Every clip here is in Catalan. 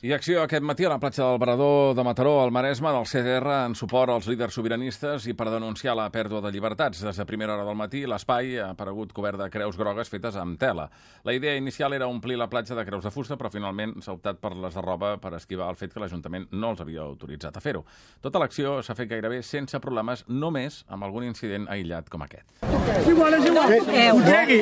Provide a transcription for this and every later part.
I acció aquest matí a la platja del Varador de Mataró, al Maresme, del CDR, en suport als líders sobiranistes i per denunciar la pèrdua de llibertats. Des de primera hora del matí, l'espai ha aparegut cobert de creus grogues fetes amb tela. La idea inicial era omplir la platja de creus de fusta, però finalment s'ha optat per les de roba per esquivar el fet que l'Ajuntament no els havia autoritzat a fer-ho. Tota l'acció s'ha fet gairebé sense problemes, només amb algun incident aïllat com aquest. Igual. Ho tregui.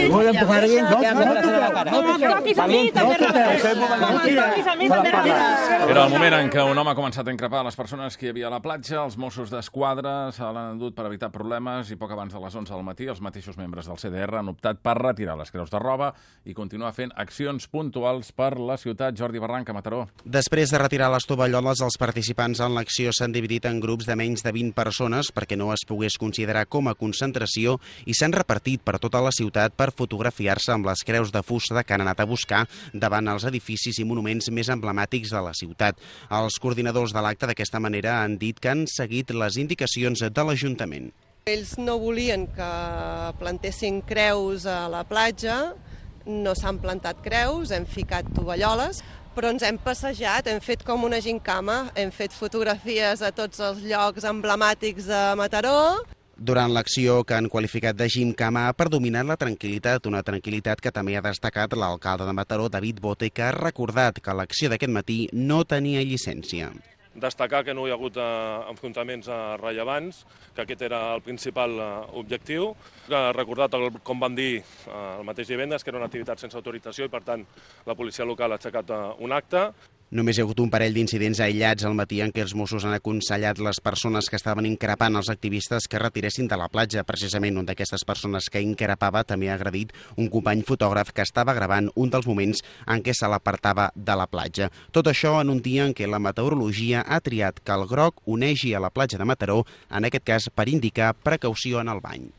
Vull empujar aquí. No toquis a mi, també. Era el moment en què un home ha començat a increpar les persones que hi havia a la platja. Els Mossos d'Esquadra se l'han endut per evitar problemes i poc abans de les 11 del matí els mateixos membres del CDR han optat per retirar les creus de roba i continuar fent accions puntuals per la ciutat. Jordi Barranca, Mataró. Després de retirar les tovalloles, els participants en l'acció s'han dividit en grups de menys de 20 persones perquè no es pogués considerar com a concentració i s'han repartit per tota la ciutat per fotografiar-se amb les creus de fusta que han anat a buscar davant els edificis i monuments més emblemàtics de la ciutat. Els coordinadors de l'acte d'aquesta manera han dit que han seguit les indicacions de l'Ajuntament. Ells no volien que plantessin creus a la platja, no s'han plantat creus, hem ficat tovalloles, però ens hem passejat, hem fet com una gincama, hem fet fotografies a tots els llocs emblemàtics de Mataró. Durant l'acció, que han qualificat de gimcama, ha predominat la tranquil·litat, una tranquil·litat que també ha destacat l'alcalde de Mataró, David Bote, que ha recordat que l'acció d'aquest matí no tenia llicència. Destacar que no hi ha hagut enfrontaments rellevants, que aquest era el principal objectiu. Ha recordat, com vam dir el mateix divendres, que era una activitat sense autorització i, per tant, la policia local ha aixecat un acte. Només hi ha hagut un parell d'incidents aïllats al matí en què els Mossos han aconsellat les persones que estaven increpant els activistes que retiressin de la platja. Precisament una d'aquestes persones que increpava també ha agredit un company fotògraf que estava gravant un dels moments en què se l'apartava de la platja. Tot això en un dia en què la meteorologia ha triat que el groc onegi a la platja de Mataró, en aquest cas per indicar precaució en el bany.